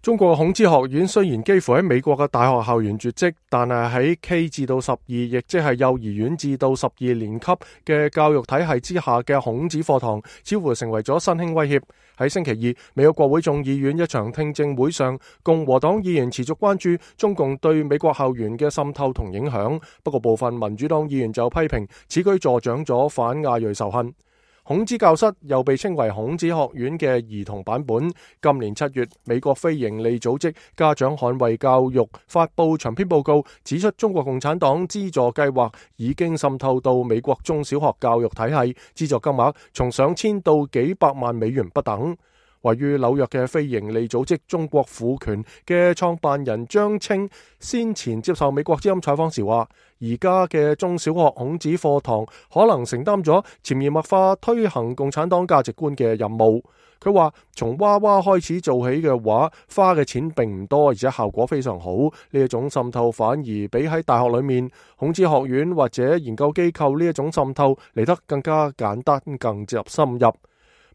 中國孔子學院雖然幾乎喺美國嘅大學校園絕跡，但係喺 K 至到12，亦即係幼兒園至到12年級嘅教育體系之下嘅孔子課堂，似乎成為咗新興威脅。喺星期二，美國國會眾議院一場聽證會上，共和黨議員持續關注中共對美國校園嘅滲透同影響，不過部分民主黨議員就批評此舉助長咗反亞裔仇恨。孔子教室又被稱為孔子學院嘅兒童版本。今年7月，美國非營利組織家長捍衛教育發佈長篇報告，指出中國共產黨資助計劃已經滲透到美國中小學教育體系，資助金額從上千到幾百萬美元不等。位於紐約嘅非營利組織中國婦權嘅創辦人張青先前接受美國之音採訪時話，而家嘅中小學孔子課堂可能承擔咗潛移默化推行共產黨價值觀嘅任務。佢話從娃娃開始做起嘅話，花嘅錢並唔多，而且效果非常好。呢一種滲透反而比喺大學裏面孔子學院或者研究機構呢一種滲透嚟得更加簡單，更深入。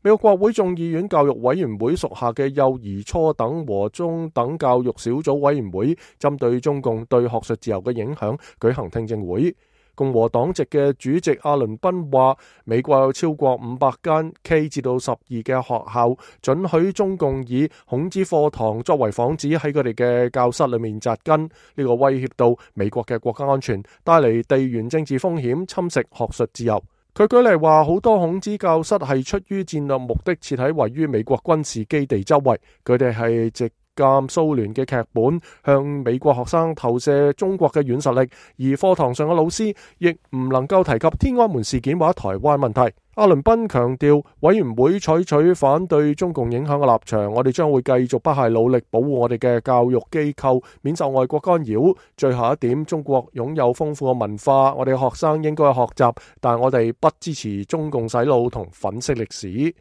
美國國會眾議院教育委員會屬下嘅幼兒、初等和中等教育小組委員會針對中共對學術自由嘅影響舉行聽證會。共和黨籍嘅主席阿倫賓話，美國有超過500間 K 至到12嘅學校准許中共以孔子課堂作為幌子喺佢哋嘅教室裏面紮根，呢個威脅到美國嘅國家安全，帶嚟地緣政治風險，侵蝕學術自由。佢舉例話，好多孔子教室係出於戰略目的設喺位於美國軍事基地周圍，佢哋係藉鑒蘇聯嘅劇本向美國學生投射中國嘅軟實力，而課堂上嘅老師亦唔能夠提及天安門事件或者台灣問題。阿倫賓強調，委員會採取反對中共影響嘅立場，我哋將會繼續不懈努力保護我哋嘅教育機構免受外國干擾。最後一點，中國擁有豐富嘅文化，我哋學生應該學習，但我哋不支持中共洗腦同粉飾歷史。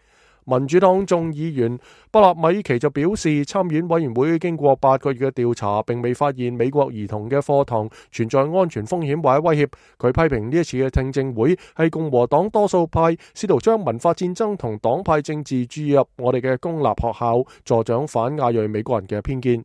民主黨眾議員布納米奇就表示，參院委員會經過8個月嘅調查，並未發現美國兒童嘅課堂存在安全風險或者威脅。佢批評呢一次嘅聽證會係共和黨多數派試圖將文化戰爭同黨派政治注入我哋嘅公立學校，助長反亞裔美國人嘅偏見。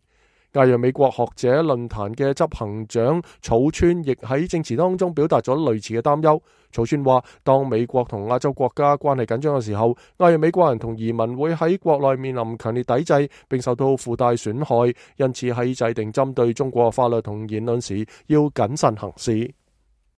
亞裔美國學者論壇嘅執行長草川亦喺證詞當中表達咗類似嘅擔憂。草川話，當美國同亞洲國家關係緊張嘅時候，亞裔美國人同移民會喺國內面臨強烈抵制，並受到附帶損害，因此喺制定針對中國法律同言論時要謹慎行事。